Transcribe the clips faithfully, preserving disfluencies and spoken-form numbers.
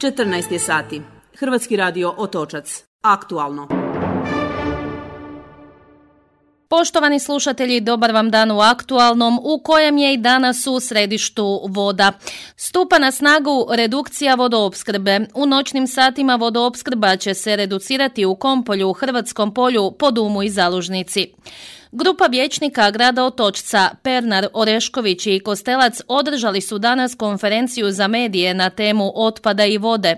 četrnaest je sati. Hrvatski radio Otočac. Aktualno. Poštovani slušatelji, dobar vam dan u Aktualnom, u kojem je i danas u središtu voda. Stupa na snagu redukcija vodoopskrbe. U noćnim satima vodoopskrba će se reducirati u Kompolju, u Hrvatskom polju, Podumu i Zalužnici. Grupa vijećnika grada Otočca, Pernar, Orešković i Kostelac održali su danas konferenciju za medije na temu otpada i vode.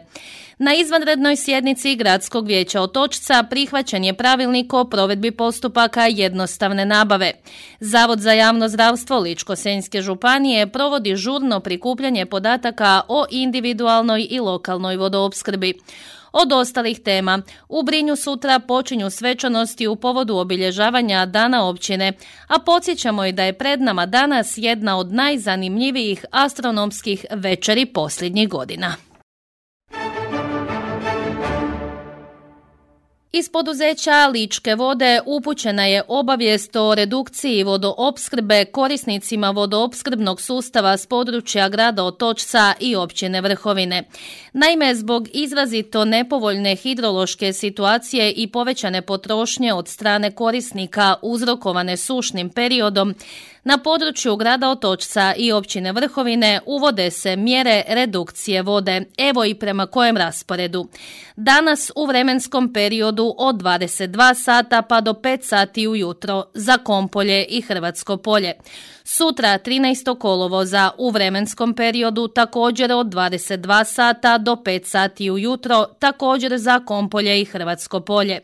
Na izvanrednoj sjednici Gradskog vijeća Otočca prihvaćen je pravilnik o provedbi postupaka jednostavne nabave. Zavod za javno zdravstvo Ličko-senjske županije provodi žurno prikupljanje podataka o individualnoj i lokalnoj vodoopskrbi. Od ostalih tema, u Brinju sutra počinju svečanosti u povodu obilježavanja Dana općine, a podsjećamo i da je pred nama danas jedna od najzanimljivijih astronomskih večeri posljednjih godina. Iz poduzeća Ličke vode upućena je obavijest o redukciji vodoopskrbe korisnicima vodoopskrbnog sustava s područja grada Otočca i općine Vrhovine. Naime, zbog izrazito nepovoljne hidrološke situacije i povećane potrošnje od strane korisnika uzrokovane sušnim periodom, na području grada Otočca i općine Vrhovine uvode se mjere redukcije vode, evo i prema kojem rasporedu. Danas u vremenskom periodu od dvadeset dva sata pa do pet sati ujutro za Kompolje i Hrvatsko polje. Sutra trinaestog kolovoza u vremenskom periodu također od dvadeset dva sata do pet sati ujutro također za Kompolje i Hrvatsko polje.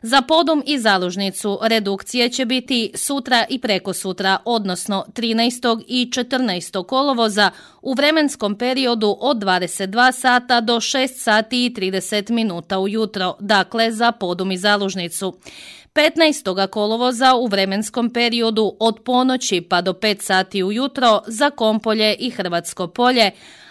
Za Podum i Zalužnicu redukcije će biti sutra i prekosutra, odnosno trinaestog i četrnaestog kolovoza u vremenskom periodu od dvadeset dva sata do šest sati i trideset minuta ujutro, dakle za Podum i Zalužnicu. petnaestog kolovoza u vremenskom periodu od ponoći pa do pet sati ujutro za Kompolje i Hrvatsko polje,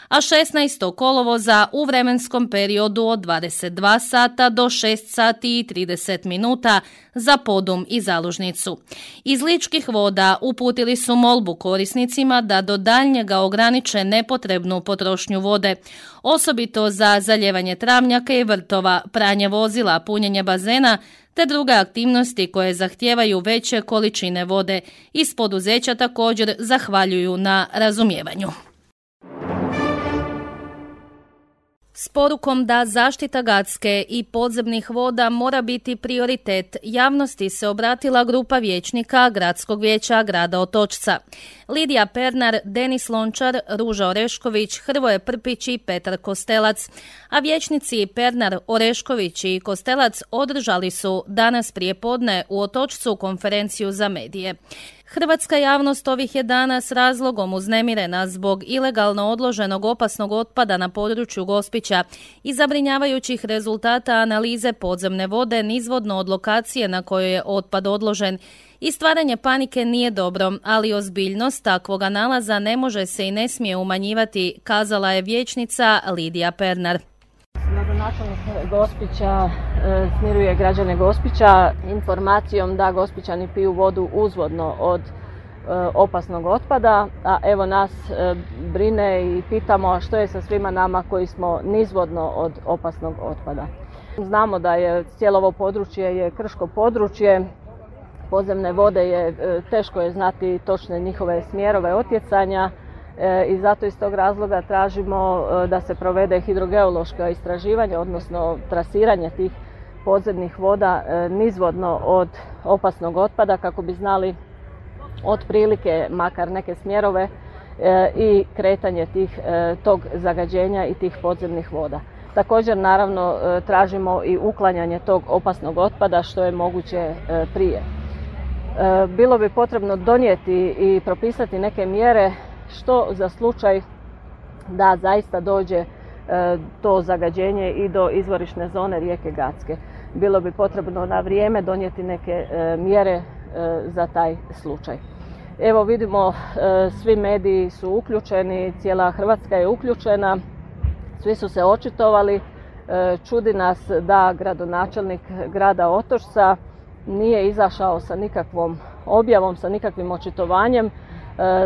a šesnaestog kolovoza u vremenskom periodu od dvadeset dva sata do šest sati i trideset minuta za Podum i Zalužnicu. Iz Ličkih voda uputili su molbu korisnicima da do daljnjega ograniče nepotrebnu potrošnju vode, osobito za zalijevanje travnjaka i vrtova, pranje vozila, punjenje bazena, te druge aktivnosti koje zahtijevaju veće količine vode. Iz poduzeća također zahvaljuju na razumijevanju. S porukom da zaštita gradske i podzemnih voda mora biti prioritet, javnosti se obratila grupa vijećnika Gradskog vijeća grada Otočca. Lidija Pernar, Denis Lončar, Ruža Orešković, Hrvoje Prpić i Petar Kostelac, a vijećnici Pernar, Orešković i Kostelac održali su danas prijepodne u Otočcu konferenciju za medije. Hrvatska javnost ovih je dana s razlogom uznemirena zbog ilegalno odloženog opasnog otpada na području Gospića i zabrinjavajućih rezultata analize podzemne vode nizvodno od lokacije na kojoj je otpad odložen. I stvaranje panike nije dobro, ali ozbiljnost takvoga nalaza ne može se i ne smije umanjivati, kazala je vijećnica Lidija Pernar. Gradonačelnik Gospića e, smiruje građane Gospića informacijom da Gospićani piju vodu uzvodno od e, opasnog otpada, a evo nas e, brine i pitamo što je sa svima nama koji smo nizvodno od opasnog otpada. Znamo da je cijelo ovo područje je krško područje, podzemne vode je e, teško je znati točne njihove smjerove otjecanja. I zato iz tog razloga tražimo da se provede hidrogeološko istraživanje, odnosno trasiranje tih podzemnih voda nizvodno od opasnog otpada kako bi znali otprilike makar neke smjerove i kretanje tih, tog zagađenja i tih podzemnih voda. Također naravno tražimo i uklanjanje tog opasnog otpada što je moguće prije. Bilo bi potrebno donijeti i propisati neke mjere što za slučaj da zaista dođe e, to zagađenje i do izvorišne zone rijeke Gacke. Bilo bi potrebno na vrijeme donijeti neke e, mjere e, za taj slučaj. Evo vidimo, e, svi mediji su uključeni, cijela Hrvatska je uključena, svi su se očitovali. E, čudi nas da gradonačelnik grada Otočca nije izašao sa nikakvom objavom, sa nikakvim očitovanjem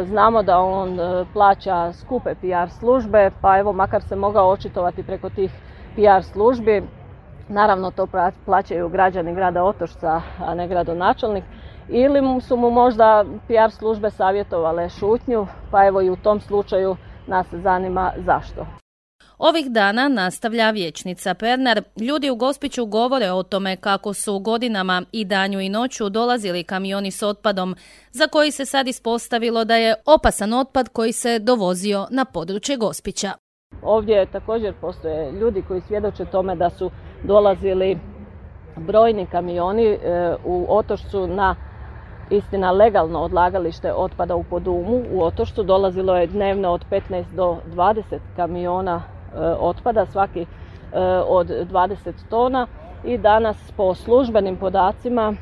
Znamo da on plaća skupe P R službe, pa evo makar se mogao očitovati preko tih P R službi. Naravno to plaćaju građani grada Otočca, a ne gradonačelnik. Ili su mu možda P R službe savjetovale šutnju, pa evo i u tom slučaju nas zanima zašto. Ovih dana, nastavlja vijećnica Pernar, ljudi u Gospiću govore o tome kako su godinama i danju i noću dolazili kamioni s otpadom, za koji se sad ispostavilo da je opasan otpad koji se dovozio na područje Gospića. Ovdje također postoje ljudi koji svjedoče tome da su dolazili brojni kamioni u Otočcu na, istina, legalno odlagalište otpada u Podumu. U Otočcu dolazilo je dnevno od petnaest do dvadeset kamiona otpada, svaki od dvadeset tona, i danas po službenim podacima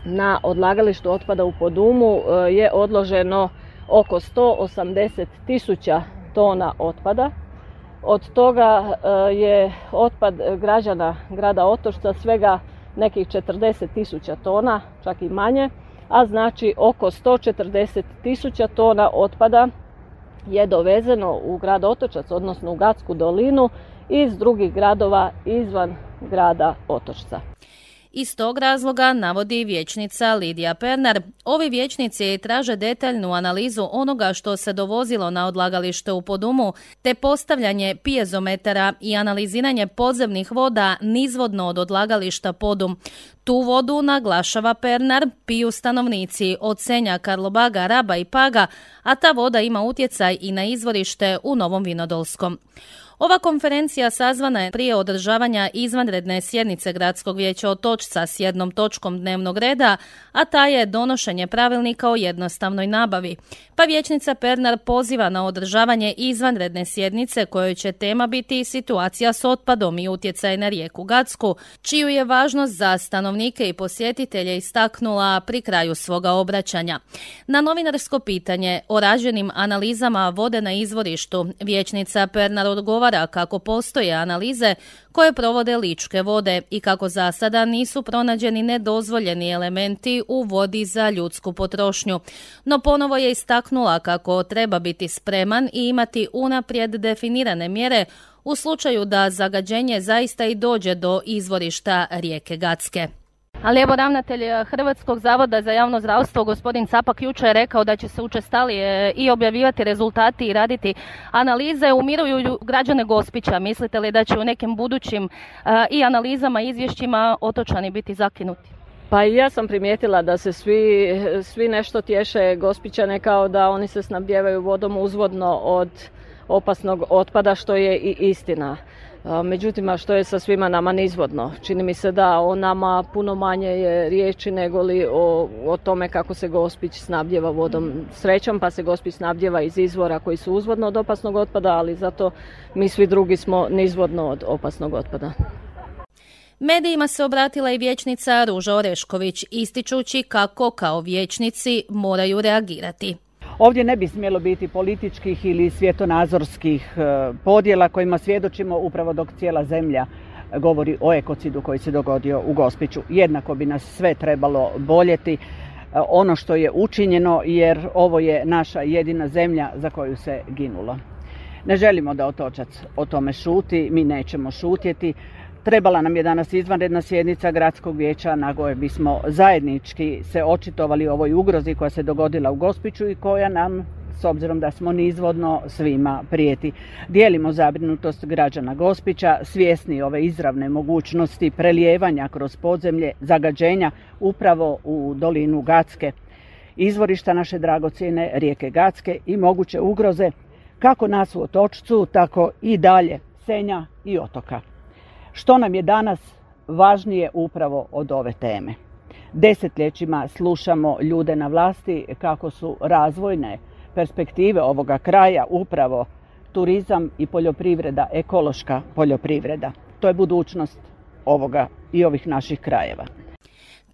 na odlagalištu otpada u Podumu je odloženo oko sto osamdeset tisuća tona otpada. Od toga je otpad građana grada Otočca svega nekih četrdeset tisuća tona, čak i manje, a znači oko sto četrdeset tisuća tona otpada je dovezeno u grad Otočac, odnosno u Gatsku dolinu, iz drugih gradova izvan grada Otočca. Iz tog razloga, navodi vijećnica Lidija Pernar, ovi vijećnici traže detaljnu analizu onoga što se dovozilo na odlagalište u Podumu, te postavljanje pijezometara i analiziranje podzemnih voda nizvodno od odlagališta Podum. Tu vodu, naglašava Pernar, piju stanovnici od Senja, Karlobaga, Raba i Paga, a ta voda ima utjecaj i na izvorište u Novom Vinodolskom. Ova konferencija sazvana je prije održavanja izvanredne sjednice Gradskog vijeća Otočca s jednom točkom dnevnog reda, a ta je donošenje pravilnika o jednostavnoj nabavi. Pa vijećnica Pernar poziva na održavanje izvanredne sjednice kojoj će tema biti situacija s otpadom i utjecaj na rijeku Gatsku, čiju je važnost za stanovnike i posjetitelje istaknula pri kraju svoga obraćanja. Na novinarsko pitanje o rađenim analizama vode na izvorištu, vijećnica Pernar odgovara kako postoje analize koje provode Ličke vode i kako za sada nisu pronađeni nedozvoljeni elementi u vodi za ljudsku potrošnju. No ponovo je istaknula kako treba biti spreman i imati unaprijed definirane mjere u slučaju da zagađenje zaista i dođe do izvorišta rijeke Gatske. Ali evo, ravnatelj Hrvatskog zavoda za javno zdravstvo, gospodin Capak, jučer je rekao da će se učestalije i objavljivati rezultati i raditi analize. Umiruju građane Gospića. Mislite li da će u nekim budućim uh, i analizama i izvješćima otočani biti zakinuti? Pa i ja sam primijetila da se svi, svi nešto tješe Gospićane kao da oni se snabdijevaju vodom uzvodno od opasnog otpada, što je i istina. Međutim, a što je sa svima nama nizvodno? Čini mi se da o nama puno manje je riječi nego li o, o tome kako se Gospić snabdijeva vodom. Srećom pa se Gospić snabdijeva iz izvora koji su uzvodno od opasnog otpada, ali zato mi svi drugi smo nizvodno od opasnog otpada. Medijima se obratila i vijećnica Ruža Orešković, ističući kako kao vijećnici moraju reagirati. Ovdje ne bi smjelo biti političkih ili svjetonazorskih podjela kojima svjedočimo upravo dok cijela zemlja govori o ekocidu koji se dogodio u Gospiću. Jednako bi nas sve trebalo boljeti ono što je učinjeno, jer ovo je naša jedina zemlja za koju se ginulo. Ne želimo da Otočac o tome šuti, mi nećemo šutjeti. Trebala nam je danas izvanredna sjednica Gradskog vijeća na kojoj bismo zajednički se očitovali o ovoj ugrozi koja se dogodila u Gospiću i koja nam, s obzirom da smo nizvodno, svima prijeti. Dijelimo zabrinutost građana Gospića, svjesni ove izravne mogućnosti prelijevanja kroz podzemlje, zagađenja upravo u dolinu Gatske, izvorišta naše dragocjene rijeke Gatske i moguće ugroze kako nas u Otočcu, tako i dalje Senja i otoka. Što nam je danas važnije upravo od ove teme? Desetljećima slušamo ljude na vlasti kako su razvojne perspektive ovoga kraja upravo turizam i poljoprivreda, ekološka poljoprivreda. To je budućnost ovoga i ovih naših krajeva.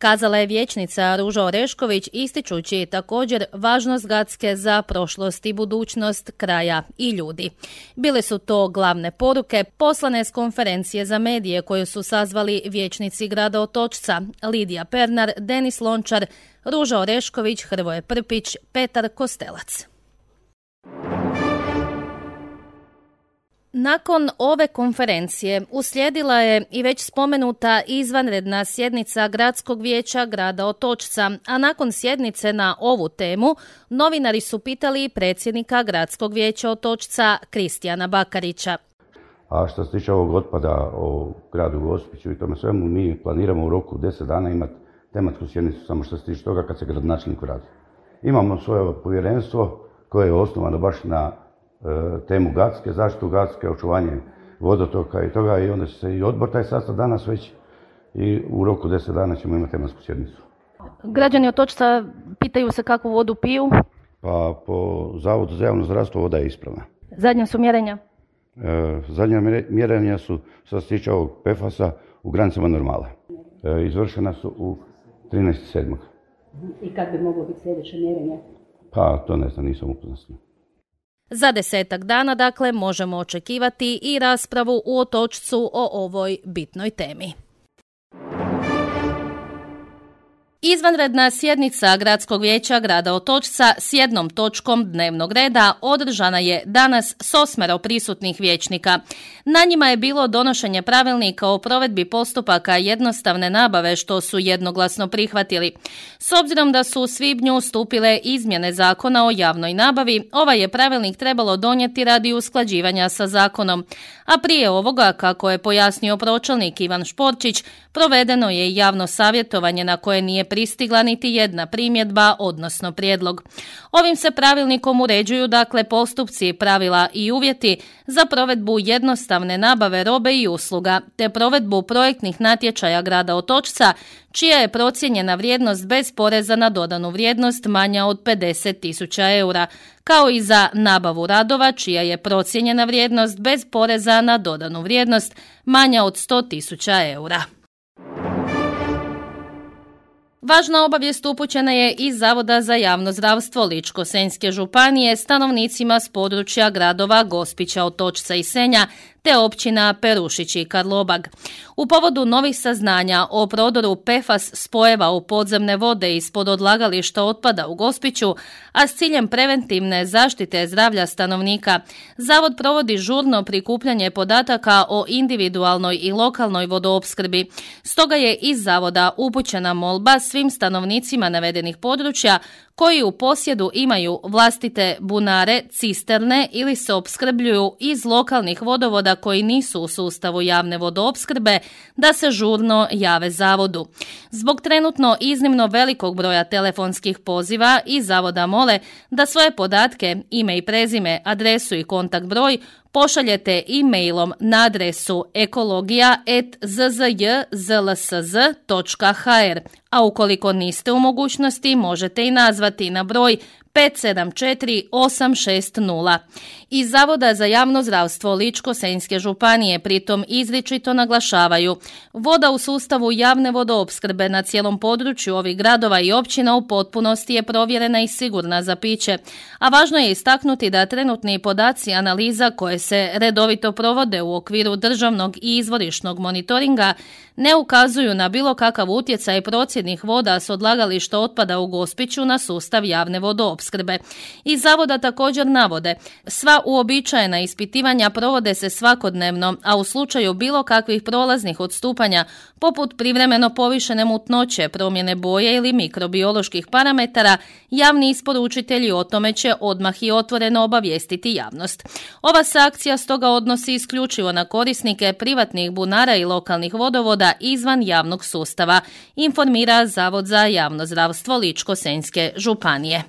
kazala je vijećnica Ruža Orešković, ističući također važnost Gacke za prošlost i budućnost kraja i ljudi. Bile su to glavne poruke poslane s konferencije za medije koju su sazvali vijećnici grada Otočca Lidija Pernar, Denis Lončar, Ruža Orešković, Hrvoje Prpić, Petar Kostelac. Nakon ove konferencije uslijedila je i već spomenuta izvanredna sjednica Gradskog vijeća grada Otočca, a nakon sjednice na ovu temu novinari su pitali predsjednika Gradskog vijeća Otočca Kristijana Bakarića. A što se tiče ovog otpada o gradu Gospiću i tome svemu, mi planiramo u roku deset dana imati tematsku sjednicu, samo što se tiče toga kad se gradonačelnik vrati. Imamo svoje povjerenstvo koje je osnovano baš na temu Gacke, zaštitu Gacke, očuvanje vodotoka i toga, i onda će se i odbor taj sastav danas već i u roku deset dana ćemo imati tematsku sjednicu. Građani Otočca pitaju se kakvu vodu piju? Pa po Zavodu za javno zdravstvo voda je ispravna. Zadnja su mjerenja? E, zadnja mjerenja su, što se tiče ovog P F A S-a, u granicama normala. E, izvršena su u trinaesti sedmog I kad bi moglo biti sljedeće mjerenje? Pa to ne znam, nisam upoznat s njim. Za desetak dana, dakle, možemo očekivati i raspravu u Otočcu o ovoj bitnoj temi. Izvanredna sjednica Gradskog vijeća grada Otočca s jednom točkom dnevnog reda održana je danas s osmero prisutnih vijećnika. Na njima je bilo donošenje pravilnika o provedbi postupaka jednostavne nabave, što su jednoglasno prihvatili. S obzirom da su u svibnju stupile izmjene zakona o javnoj nabavi, ovaj je pravilnik trebalo donijeti radi usklađivanja sa zakonom. A prije ovoga, kako je pojasnio pročelnik Ivan Šporčić, provedeno je javno savjetovanje na koje nije pristigla niti jedna primjedba, odnosno prijedlog. Ovim se pravilnikom uređuju dakle postupci, pravila i uvjeti za provedbu jednostavne nabave robe i usluga, te provedbu projektnih natječaja grada Otočca, čija je procijenjena vrijednost bez poreza na dodanu vrijednost manja od pedeset tisuća eura, kao i za nabavu radova čija je procijenjena vrijednost bez poreza na dodanu vrijednost manja od sto tisuća eura. Važna obavijest upućena je iz Zavoda za javno zdravstvo Ličko-senjske županije stanovnicima s područja gradova Gospića, Otočca i Senja, te općina Perušić i Karlobag. U povodu novih saznanja o prodoru P F A S spojeva u podzemne vode ispod odlagališta otpada u Gospiću, a s ciljem preventivne zaštite zdravlja stanovnika, Zavod provodi žurno prikupljanje podataka o individualnoj i lokalnoj vodoopskrbi. Stoga je iz Zavoda upućena molba svim stanovnicima navedenih područja koji u posjedu imaju vlastite bunare, cisterne ili se opskrbljuju iz lokalnih vodovoda koji nisu u sustavu javne vodoopskrbe, da se žurno jave Zavodu. Zbog trenutno iznimno velikog broja telefonskih poziva iz Zavoda mole da svoje podatke, ime i prezime, adresu i kontakt broj pošaljete e-mailom na adresu ekologija at z z j z l s z točka h r, a ukoliko niste u mogućnosti možete i nazvati na broj pet sedam četiri osam šest nula. Iz Zavoda za javno zdravstvo Ličko-senjske županije pritom izričito naglašavaju: voda u sustavu javne vodoopskrbe na cijelom području ovih gradova i općina u potpunosti je provjerena i sigurna za piće, a važno je istaknuti da trenutni podaci analiza koje se redovito provode u okviru državnog i izvorišnog monitoringa ne ukazuju na bilo kakav utjecaj procjednih voda s odlagališta otpada u Gospiću na sustav javne vodoopskrbe. Iz Zavoda također navode: sva uobičajena ispitivanja provode se svakodnevno, a u slučaju bilo kakvih prolaznih odstupanja, poput privremeno povišene mutnoće, promjene boje ili mikrobioloških parametara, javni isporučitelji o tome će odmah i otvoreno obavijestiti javnost. Ova se akcija stoga odnosi isključivo na korisnike privatnih bunara i lokalnih vodovoda izvan javnog sustava, informira Zavod za javno zdravstvo Ličko-senjske županije.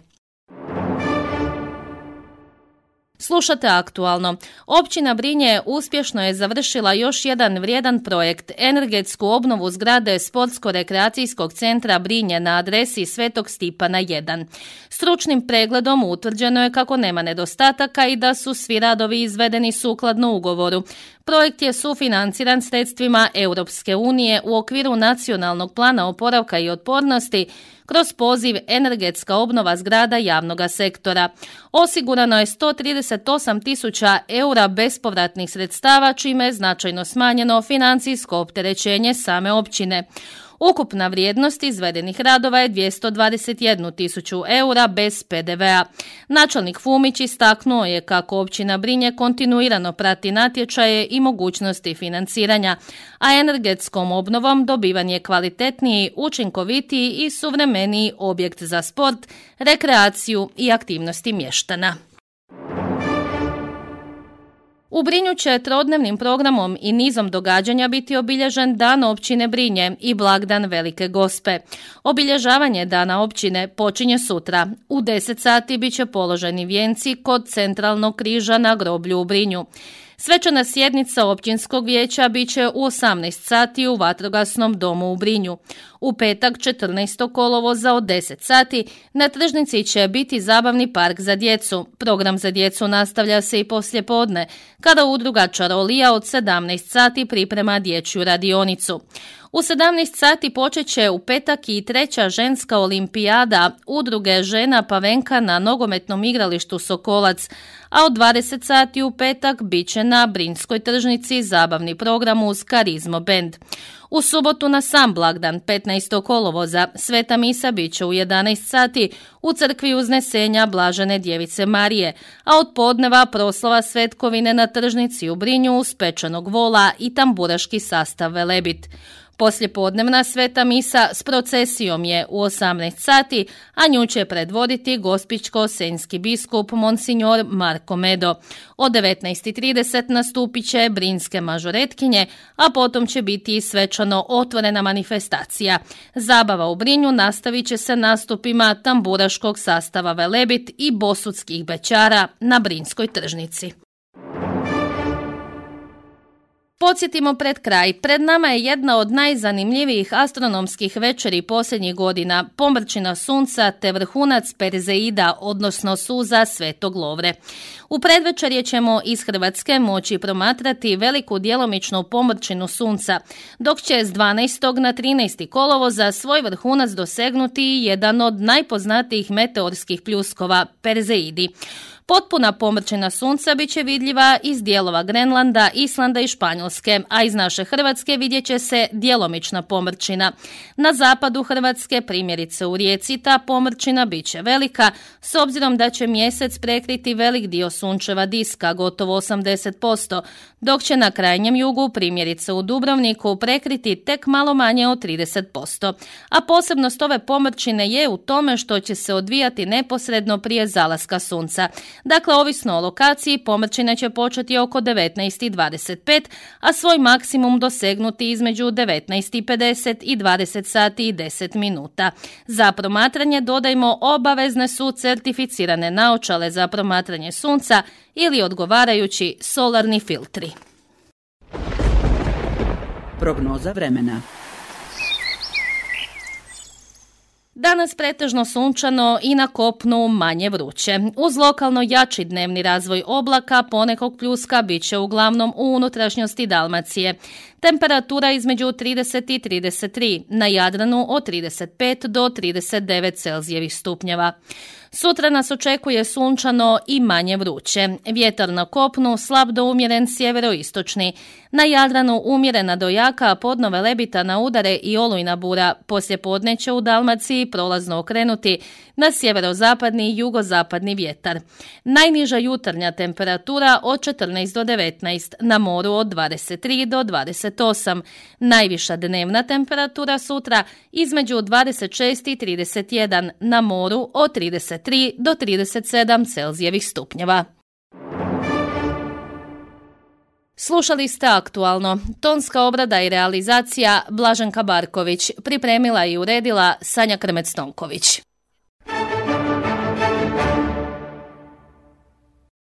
Slušate Aktualno. Općina Brinje uspješno je završila još jedan vrijedan projekt, energetsku obnovu zgrade Sportsko-rekreacijskog centra Brinje na adresi Svetog Stipana jedan. Stručnim pregledom utvrđeno je kako nema nedostataka i da su svi radovi izvedeni sukladno ugovoru. Projekt je sufinanciran sredstvima Europske unije u okviru Nacionalnog plana oporavka i otpornosti kroz poziv Energetska obnova zgrada javnog sektora. Osigurano je sto trideset osam tisuća eura bespovratnih sredstava, čime je značajno smanjeno financijsko opterećenje same općine. Ukupna vrijednost izvedenih radova je dvjesto dvadeset jednu tisuću eura bez pe de ve a. Načelnik Fumić istaknuo je kako općina Brinje kontinuirano prati natječaje i mogućnosti financiranja, a energetskom obnovom dobivan je kvalitetniji, učinkovitiji i suvremeniji objekt za sport, rekreaciju i aktivnosti mještana. U Brinju će trodnevnim programom i nizom događanja biti obilježen Dan općine Brinje i blagdan Velike Gospe. Obilježavanje Dana općine počinje sutra. U deset sati bit će položeni vijenci kod centralnog križa na groblju u Brinju. Svečana sjednica općinskog vijeća bit će u osamnaest sati u vatrogasnom domu u Brinju. U petak četrnaestog kolovoza od deset sati na tržnici će biti zabavni park za djecu. Program za djecu nastavlja se i poslijepodne, kada udruga Čarolija od sedamnaest sati priprema dječju radionicu. U sedamnaest sati počet će u petak i treća ženska olimpijada udruge žena Pavenka na nogometnom igralištu Sokolac, a od dvadeset sati u petak bit će na Brinjskoj tržnici zabavni program uz Karizmo band. U subotu na sam blagdan petnaestog kolovoza sveta misa bit će u jedanaest sati u crkvi Uznesenja Blažene Djevice Marije, a od podneva proslava svetkovine na tržnici u Brinju uz pečenog vola i tamburaški sastav Velebit. Poslijepodnevna sveta misa s procesijom je u osamnaest sati, a nju će predvoditi gospićko-senjski biskup Monsignor Marko Medo. Od devetnaest i trideset nastupit će brinjske mažoretkinje, a potom će biti svečano otvorena manifestacija. Zabava u Brinju nastavit će se nastupima tamburaškog sastava Velebit i bosutskih bećara na Brinjskoj tržnici. Podsjetimo pred kraj, pred nama je jedna od najzanimljivijih astronomskih večeri posljednjih godina, pomrčina sunca te vrhunac Perzeida, odnosno suza Svetog Lovre. U predvečerje ćemo iz Hrvatske moći promatrati veliku djelomičnu pomrčinu sunca, dok će s dvanaestog na trinaesti kolovoza svoj vrhunac dosegnuti jedan od najpoznatijih meteorskih pljuskova, Perzeidi. Potpuna pomrčina sunca bit će vidljiva iz dijelova Grenlanda, Islanda i Španjolske, a iz naše Hrvatske vidjet će se djelomična pomrčina. Na zapadu Hrvatske, primjerice u Rijeci, ta pomrčina bit će velika, s obzirom da će mjesec prekriti velik dio sunčeva diska, gotovo osamdeset posto, dok će na krajnjem jugu, primjerice u Dubrovniku, prekriti tek malo manje od trideset posto. A posebnost ove pomrčine je u tome što će se odvijati neposredno prije zalaska sunca. Dakle, ovisno o lokaciji, pomrčina će početi oko devetnaest i dvadeset pet, a svoj maksimum dosegnuti između devetnaest i pedeset i dvadeset sati i deset minuta. Za promatranje dodajmo obavezne su certificirane naočale za promatranje sunca ili odgovarajući solarni filtri. Prognoza vremena. Danas pretežno sunčano i na kopnu manje vruće. Uz lokalno jači dnevni razvoj oblaka ponekog pljuska bit će uglavnom u unutrašnjosti Dalmacije. Temperatura između trideset i trideset tri, na Jadranu od trideset pet do trideset devet Celzijevih stupnjeva. Sutra nas očekuje sunčano i manje vruće. Vjetar na kopnu slab do umjeren sjeveroistočni. Na Jadranu umjerena do jaka, a podno Velebita na udare i olujna bura. Poslijepodne će u Dalmaciji prolazno okrenuti na sjeverozapadni i jugozapadni vjetar. Najniža jutarnja temperatura od četrnaest do devetnaest, na moru od dvadeset tri do dvadeset osam. Najviša dnevna temperatura sutra između dvadeset šest i trideset jedan, na moru od trideset tri do trideset sedam Celzijevih stupnjeva. Slušali ste Aktualno. Tonska obrada i realizacija Blaženka Barković. Pripremila i uredila Sanja Krmec-Tonković.